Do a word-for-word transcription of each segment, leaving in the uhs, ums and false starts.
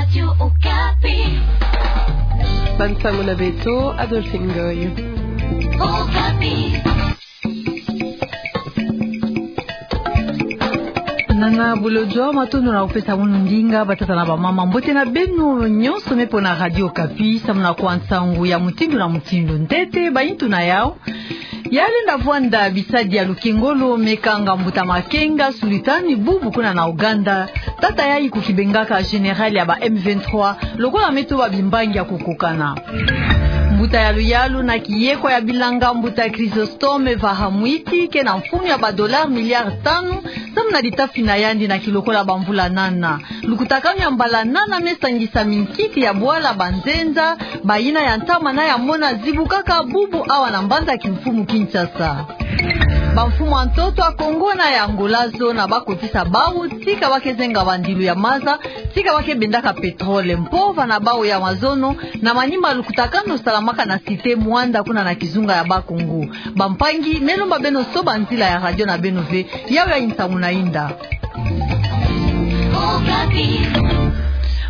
Radio Okapi. Bansango na beto, Adolphine Ngoy. Okapi. Nana Bolodjwa, matondo na kupesa mono ndinga, batata na bamama. Mbote na beno nyonso me pona Radio Okapi, samu na kuwa nsangu ya mutindu na mutindu. Ntete, bayintu na yau. Ya lenda vwanda bisadi ya lukengolo me kanga mbuta Makenga Sulutani Bubu kuna na Ouganda, tata yayi kukibengaka général ya ba M vingt-trois, lokola me tuba bimbangi ya kukokana. Mbuta ya luyalu na kiyekwa ya bilanga, mbuta Chrysostome Vahamwiti, ke na mfunu ya ba dollars milliards tanu, samu na litafi na yandi na kilokola bamvula nana. Lukutakanu ya mbala nana me sangisa minkiki ya bwala banzenza, bayina ya ntama na ya mona zibukaka bubu awa na mbanza kimfumu Kinshasa. Bamfumu ya ntoto ya Congo na ya Angola zo na bakotisa bau, tika ba ke zenga bandilu ya maza, tika ba ke bendaka pétrole. Mpova na bau ya mazono, na manima lukutakanu salamaka na Cité Muanda kuna na kizunga ya Bas-Congo. Bampangi, me lomba beno soba nzila ya radio na beno ve, yau yayi nsangu na yinda.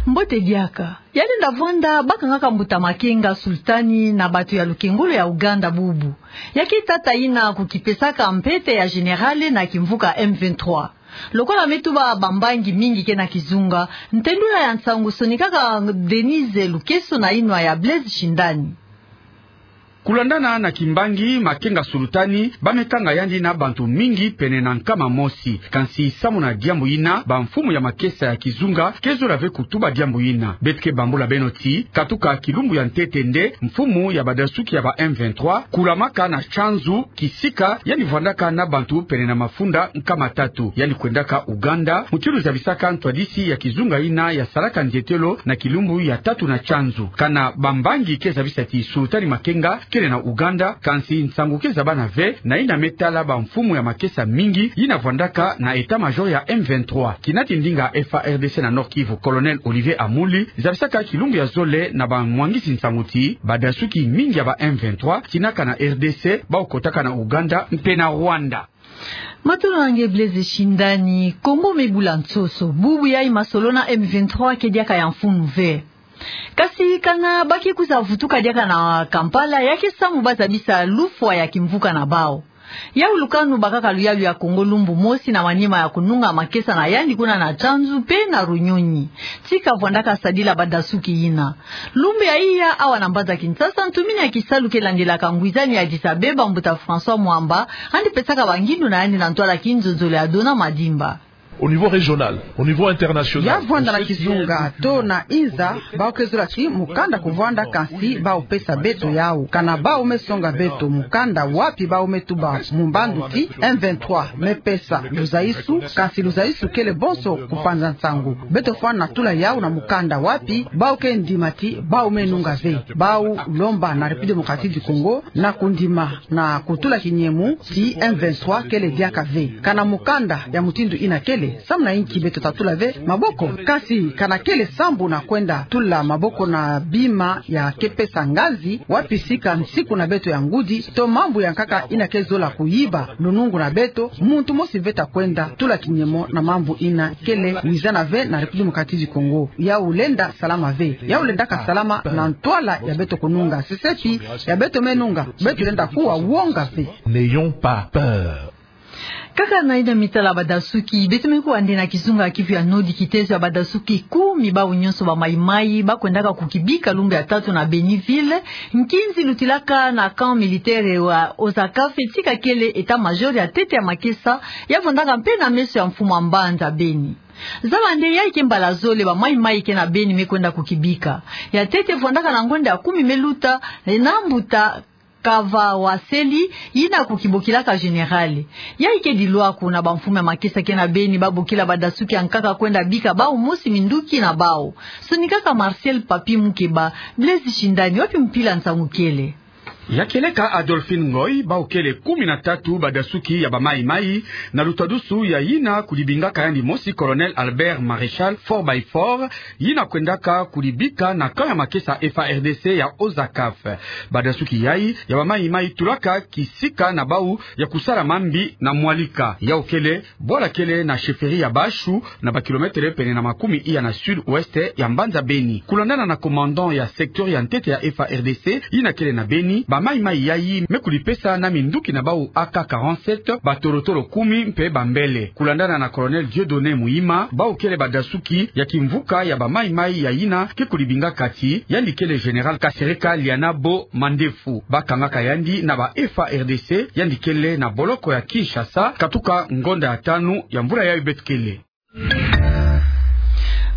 Mbote diaka. Ya lenda vwanda, bakangaka mbuta Makenga Sulutani na bato ya lukengolo ya Ouganda bubu. Ya ke tata yina kukipesaka mpete ya général na kimvuka M vingt-trois. Lokola me tuba bambangi mingi ke na kizunga, ntendula ya nsangu sonikaka Denise Lukeso na yinwa ya Blaise Shindani. Kulandana na kimbangi, Makenga Sulutani ba me kanga yandi na bantu mingi pene na nkama mosi. Kansi samu na diambu yina, bamfumu ya makesa ya kizunga ke zola ve kutuba diambu yina. Beto ke bambula beno ti, katuka kilumbu ya ntete nde, mfumu ya badasuki ya ba M vingt-trois kulamaka na Tchanzu, kisika yandi vwandaka na bantu pene na mafunda nkama tatu. Yandi kwendaka Ouganda, mutindu zabisaka ntwadisi ya kizunga yina ya salaka ndietelo na kilumbu ya tatu na Tchanzu. Kana bambangi ke zabisa ti Sulutani Makenga kele na Ouganda, kansi nsangu ke zabana ve na yina me tala bamfumu ya makesa mingi yina vwandaka na état-major ya M vingt-trois. Kinati ndinga F A R D C na Nord-Kivu, Colonel Olivier Amuli, zabisaka kilumbu ya zole na bamwangisi nsangu ti badasuki mingi ya ba M vingt-trois kinaka na R D C, bau kotaka na Ouganda mpe na Rwanda. Matondo na nge Blaise Shindani. Congo me bula nsoso. Bubu yayi masolo na M vingt-trois ke diaka ya mfunu ve. Kasi kana ba ke kwiza vutuka diaka na Kampala, ya ke samu ba zabisa lufwa ya kimvuka na bau. Yau lukanu bakaka luyalu ya Congo lumbu mosi na manima ya kununga makesa na yandi kuna na Tchanzu mpe na Runyonyi. Tika vwandaka sadila badasuki yina. Lumbu ya iya, awa na mbanza Kinshasa, ntumini ya kisalu ke landelaka ngwizani ya Addis Abeba, mbuta François Mwamba, yandi pesaka bangindu na yandi na ntwala kinzonzolo ya Donat Madimba. Au niveau régional, au niveau international, ya vwanda na kizunga to na inza, bau ke zola ti mukanda kuvwanda, kansi bau pesa beto yau. Kana bau me songa beto mukanda wapi bau me tuba mu mbandu ti M vingt-trois me pesa luzayisu, kansi luzayisu kele bonso kupanza nsangu. Beto fwana tula yau na mukanda wapi bau ke ndima ti bau me nunga ve. Bau lomba na République Démocratique du Congo na kundima na kutula kinyemu ti M vingt-trois kele diaka ve. Kana mukanda ya mutindu yina kele, samu na inki beto ta tula ve maboko? Kansi kana kele sambu na kwenda tula maboko na bima ya ke pesa ngazi, wapi sika nsiku na beto ya ngudi, to mambu ya nkaka yina ke zola kuyiba lunungu na beto, muntu mosi ve ta kwenda tula kinyemo na mambu yina kele wizana ve na République Démocratique du Congo. Yau lenda salama ve. Yau lendaka salama na ntwala ya beto kununga. Sesepi ya beto me nunga, beto lenda kuwa wonga ve. N'ayons pas peur. Kaka na yina me tala badasuki, beto me kuwa nde na kizunga Kivu ya Nord kitezo ya badasuki kumi, bau nyonso ba mayi-mayi, ba kwendaka kukibika lumbu ya tatu na Beni-Ville, nkinzi lutilaka na camp militaire wa Ozakafe, tika kele état-major ya ntete ya makesa, ya vwandaka mpe na meso ya mfumu ya mbanza Beni. Zaba nde yayi ke mbala zole ba mayi-mayi ke na Beni me kwenda kukibika. Ya ntete vwandaka na ngonda ya kumi me luta, na mbuta Kavawaseli, yina kukibokilaka général. Yayi ke dilwaku na bamfumu ya makesa ke na Beni ba bokila badasuki ya nkaka kwenda bika bau mosi minduki na bau. Sonikaka Martial Papi Mukeba, Blaise Shindani, wapi mpila nsangu kele? Ya kieleka Adolphine Ngoy, bau kele kumi na tatu badasuki ya bamaimai, na lutadusu ya yina kulibingaka yandi mosi Colonel Albert Maréchal Four by Four, yina kwendaka kulibika na camp ya makesa F A R D C ya Ozakaf. Badasuki yayi ya bamaimai tulaka kisika na bau ya kusala mambi na mwalika. Yau kele bwala kele na chefferie ya Bashu, na ba kilomètre pene na makumi iya na sud-ouest ya mbanza Beni. Kulandana na commandant ya secteur ya ntete ya F A R D C, yina kele na Beni, bamaimai yayi me kulipesa na minduki na bau A K quarante-sept, batorotoro kumi mpe bambele. Kulandana na Colonel Dieudonné Muhima, bau kele badasuki ya kimvuka ya bamaimai ya yina ke kulibingaka ti yandi kele Général Kasereka Lianabo Mandefu. Bakangaka yandi na ba F A R D C, yandi kele na boloko ya Kinshasa, katuka ngonda ya tanu ya mvula yayi beto kele.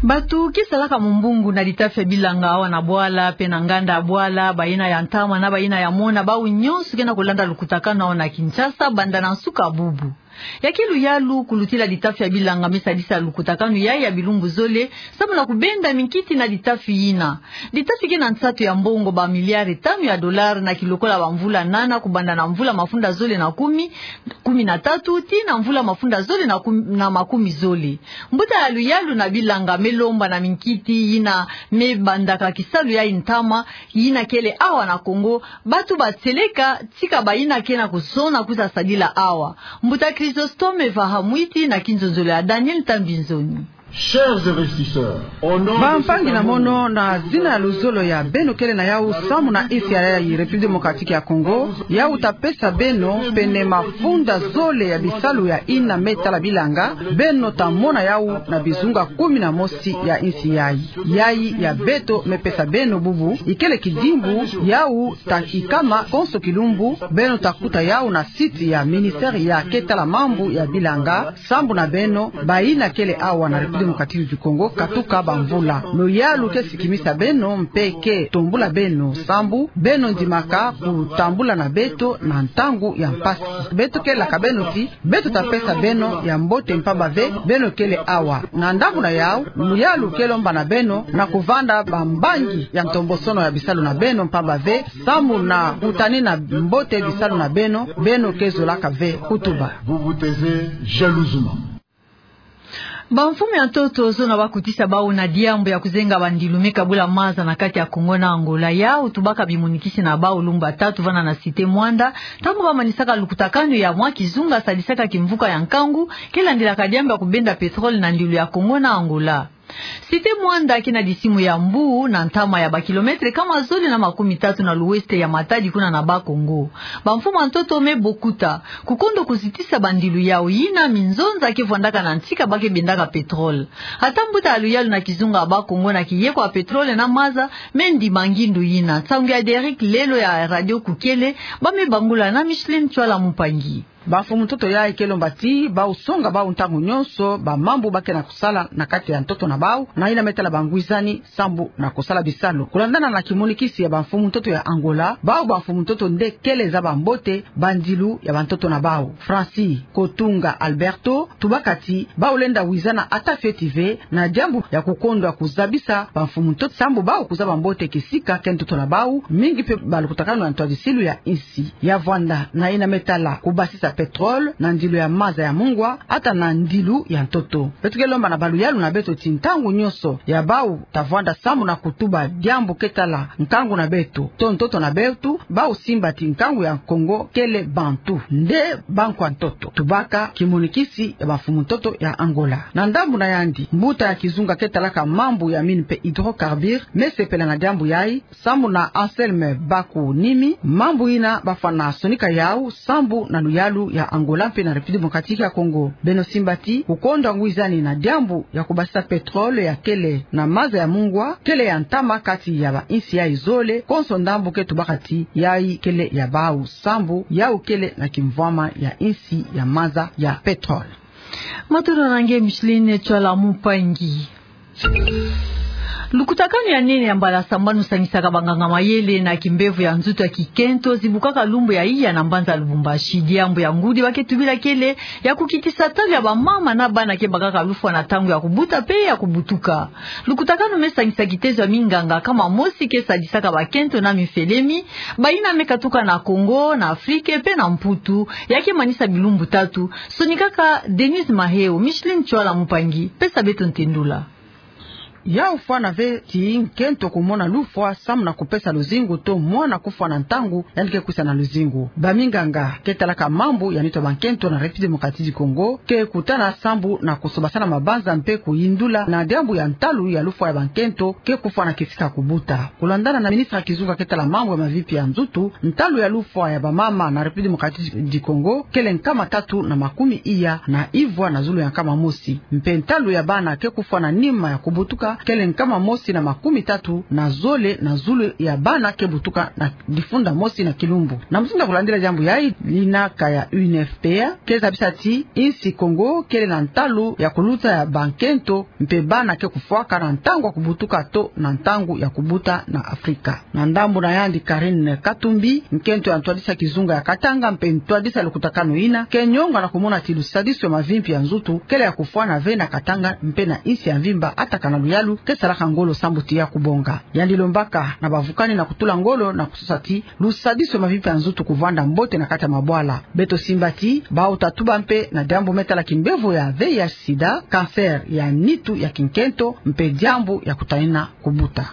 Bato ke salaka mumbungu na litafi ya bilanga awa na bwala, mpe na nganda ya bwala, bayina ya ntama na bayina ya mona, bau nyonso ke na kulanda lukutakanu awa na Kinshasa, banda na nsuka bubu. Ya ke luyalu kulutila litafi ya bilanga me sadisa lukutakanu yayi ya bilumbu zole, samu na kubenda minkiti na litafi yina. Litafi ke na nsatu ya mbongo ba miliare tanu ya dolare na kilokola ba mvula nana, kubanda na mvula mafunda zole na kumi, kumi na tatu, tii na mvula mafunda zole na kum-, na makumi zole. Mbuta ya luyalu na bilanga me lomba na minkiti yina me bandaka kisalu ya ntama, yina kele awa na Congo, bato ba seleka, tika bayina ke na kuzona kwiza sadila awa. Mbuta Chrysostome Vahamwiti na kinzonzolo ya Daniel Tambinzoni. Chers investisseurs, au nom de Bampangi na mono, na zina ya luzolo ya beno kele na yau samu na insi yayi, République Démocratique ya Congo, yau ta pesa beno pene mafunda zole ya bisalu ya yina me tala bilanga, beno ta mona yau na bizunga kumi na mosi ya insi yayi. Yayi ya beto me pesa beno bubu, ikele kidimbu, yau ta kikama konso kilumbu, beno ta kuta yau na site ya ministère ya ke tala mambu ya bilanga, sambu na beno, bayina kele awa na République Démocratique du Congo, katuka ba mvula. Luyalu ke sikimisa beno, mpe ke tombula beno, sambu beno ndimaka kutambula na beto na ntangu ya mpasi. Beto kelaka beno ti, beto ta pesa beno ya mbote mpamba ve, beno kele awa. Na ndambu na yau, luyalu ke lomba na beno, na kuvanda bambangi ya ntombosono ya bisalu na beno mpamba ve, samu na kutani na mbote bisalu na beno, beno ke zolaka ve kutuba. Vous vous taisez jalousement. Bamfumu ya ntoto zona bakutisa bau na diambu ya kuzenga bandilu me kabula maza na kati ya Congo na Angola. Yau tubaka bimonikisi na bau lumbu tatu vana na Cité Muanda, ntangu bamanisaka lukutakanu ya mwa kizunga sadisaka kimvuka ya nkangu, ke landilaka diambu ya kubenda pétrole na ndilu ya Congo na Angola. Cité Muanda ke na disimu ya mbu na ntama ya ba kilomètre kama zole na makumi tatu na l'ouest ya Matadi kuna na Bas-Congo. Bamfumu ya ntoto me bokuta, kukondo kuzitisa bandilu yau yina minzonza ke vwandaka na ntika ba ke bendaka pétrole. Ata mbuta ya luyalu na kizunga ya Bas-Congo na kiyeko ya pétrole na maza, me ndima ngindu yina. Nsangu ya Derrick Lelo ya Radio Kukele, ba me bangula na Micheline Tswala Mumpangi. Bamfumu ntoto yayi ke lomba ti, bau songa bau ntangu nyonso bamambu ba ke na kusala na kati ya ntoto na bau, na yina me tala bangwizani, sambu na kusala bisalu. Kulandana na kimonikisi ya bamfumu ntoto ya Angola, bau bamfumu ntoto nde kele zaba mbote bandilu ya bantoto na bau. Francis Kotunga Alberto, tubaka ti, bau lenda wizana ata fioti ve, na diambu ya kukondwa kuzabisa bamfumu ntoto sambu bau kuzaba mbote kisika ke ntoto na bau, mingi mpe balukutakanu ya ntwadisilu ya insi. Ya vwanda na yina me tala kubasisa pétrole na ndilu ya maza ya mungwa, ata na ndilu ya ntoto. Beto ke lomba na baluyalu na beto ti ntangu nyonso ya bau ta vwanda sambu na kutuba diambu ke tala nkangu na beto, to ntoto na beto, bau simba ti nkangu ya Congo kele bantu, nde bankwa ntoto. Tubaka kimonikisi ya bamfumu ntoto ya Angola. Na ndambu na yandi, mbuta ya kizunga ke talaka mambu ya mine mpe hydrocarbures, me sepela na diambu yayi, sambu na Anselme Baku Nimi, mambu yina bafwana sonika yau, sambu na luyalu ya Angola mpe na République Démocratique ya Congo. Beno simba ti, kukondwa ngwizani na diambu ya kubasisa pétrole ya kele na maza ya mungwa, kele ya ntama kati ya ba insi yayi zole, konso ndambu ke tubaka ti, yayi kele ya bau sambu, yau kele na kimvwama ya insi ya maza ya pétrole. Matondo na nge Micheline Tswala Mumpangi. Lukutakanu ya nene ya mbala sambanu sangisaka banganga-mayele na kimbevo ya nzutu ya kikento zibukaka lumbu ya iya na mbanza Lubumbashi. Diambu ya ngudi ba ke tubila kele ya kukitisa talu ya bamama na bana ke bakaka lufwa na ntangu ya kubuta pe ya kubutuka. Lukutakanu me sangisa kitezo ya minganga kama mosi ke sadisaka bakento na mifelemi, bayina me katuka na Congo, na Afrike pe na Mputu, ya ke manisa bilumbu tatu. Sonikaka Denise Maheo, Micheline Chwala Mupangi, pesa beto ntendula. Ya kufwana ve ti nkento kumona lufwa samu na kupesa luzingu to mwana kufwa na ntangu yandi ke kwisa na luzingu. Baminganga ke talaka mambu ya nitu ya bankento na République Démocratique du Congo ke kutana sambu na kusobasana mabanza mpe kuyindula na diambu ya ntalu ya lufwa ya bankento ke kufwa na kisika kubuta. Kulandana na ministre ya kizunga ke tala mambu ya mavimpi ya nzutu, ntalu ya lufwa ya bamama na République Démocratique du Congo kele nkama tatu na makumi iya na ivwa na zulu ya nkama mosi. Mpe ntalu ya bana ke kufwa na nima ya kubutuka kele nkama mosi na makumi tatu na zole na zulu ya bana ke butuka na difunda mosi na kilumbu. Na mutindu ya kulandila diambu yayi, linaka ya U N F P A ke zabisa ti insi Congo kele na ntalu ya kuluta ya bankento mpe bana ke kufwaka na ntangu ya kubutuka to na ntangu ya kubuta na Afrika. Na ndambu na yandi, Carine Katumbi, nkento ya ntwadisi ya kizunga ya Katanga mpe ntwadisi ya lukutakanu yina, ke nyonga na kumona ti lusadisu ya mavimpi ya nzutu kele ya kufwana ve na Katanga mpe na insi ya mvimba, ata kana luyalu ke salaka ngolo sambu ti ya kubonga. Yandi lombaka na bavukani na kutula ngolo na kusosa ti lusadisu ya mavimpi ya nzutu kuvanda mbote na kati ya mabwala. Beto simba ti bau tatuba mpe na diambu me tala kimbevo ya V I H sida, cancer ya nitu ya kinkento mpe diambu ya kutanina kubuta.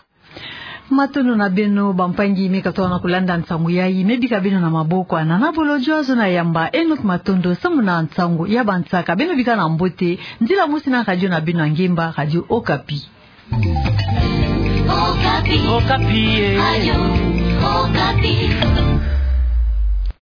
Matondo na beno bampangi me katoka na kulanda nsangu yayi, me bika beno na maboko ya Nana Bolodjwa, zona yamba Enoch Matondo samu na nsangu ya bansaka. Beno bika na mbote, nzila mosi na radio na beno ya ngemba, Radio Okapi. Okapi. Okapi, eh. Radio Okapi.